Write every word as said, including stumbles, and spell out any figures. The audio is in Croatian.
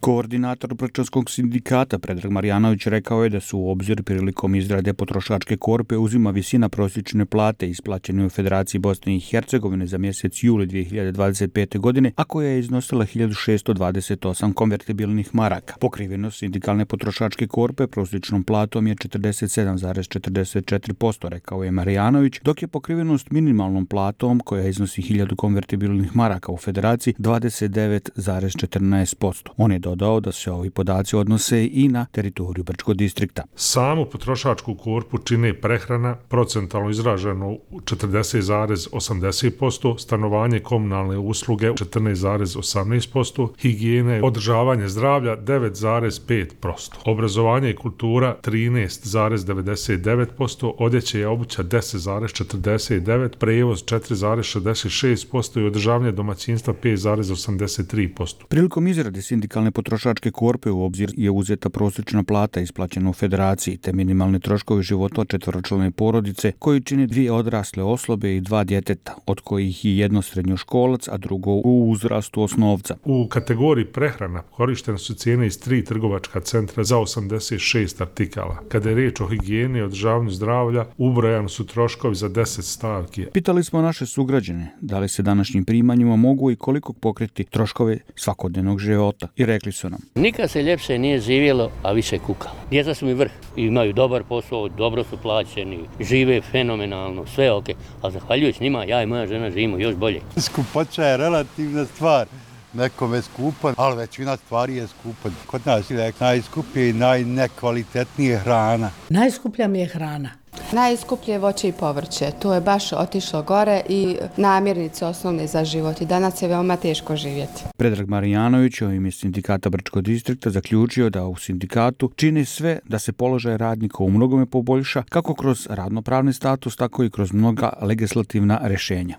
Koordinator Brčanskog sindikata Predrag Marjanović rekao je da su u obzir prilikom izrade potrošačke korpe uzima visina prosječne plate isplaćene u Federaciji Bosne i Hercegovine za mjesec juli dvije hiljade dvadeset pete. godine, a koja je iznosila hiljadu šessto dvadeset osam konvertibilnih maraka. Pokrivenost sindikalne potrošačke korpe prosječnom platom je četrdeset sedam zarez četrdeset četiri posto, rekao je Marjanović, dok je pokrivenost minimalnom platom, koja iznosi hiljadu konvertibilnih maraka u Federaciji, dvadeset devet zarez četrnaest posto. On je dodao da se ovi podaci odnose i na teritoriju Brčkog distrikta. Samu potrošačku korpu čine prehrana, procentalno izraženo četrdeset zarez osamdeset posto, stanovanje, komunalne usluge četrnaest zarez osamnaest posto, higijene, održavanje zdravlja devet zarez pet posto, obrazovanje i kultura trinaest zarez devedeset devet posto, odjeća i obuća deset zarez četrdeset devet posto, prevoz četiri zarez šezdeset šest posto i održavanje domaćinstva pet zarez osamdeset tri posto. Prilikom izrade sindikalne potrošačke korpe u obzir je uzeta prosječna plata isplaćena u Federaciji te minimalni troškovi života četveročlane porodice koji čine dvije odrasle osobe i dva djeteta, od kojih je jedno srednjoškolac, a drugo u uzrastu osnovca. U kategoriji prehrana korištene su cijene iz tri trgovačka centra za osamdeset šest artikala. Kada je riječ o higijeni i održavanju zdravlja, ubrojani su troškovi za deset stavki. Pitali smo naše sugrađane da li se današnjim primanjima mogu i koliko pokriti troškove svakodnevnog života i rekli su nam: nikad se ljepše nije živjelo, a više kukalo. Djeca su mi vrh, imaju dobar posao, dobro su plaćeni, žive fenomenalno, sve ok, a zahvaljujući njima ja i moja žena živimo još bolje. Skupoća je relativna stvar. Nekom je skupan, ali većina stvari je skupan. Kod nas je najskuplje i najnekvalitetnije hrana. Najskuplja mi je hrana. Najskuplje voće i povrće. To je baš otišlo gore i namirnice osnovne za život. I danas je veoma teško živjeti. Predrag Marjanović u ime sindikata Brčkog distrikta zaključio da u sindikatu čini sve da se položaj radnika u mnogome poboljša, kako kroz radnopravni status, tako i kroz mnoga legislativna rješenja.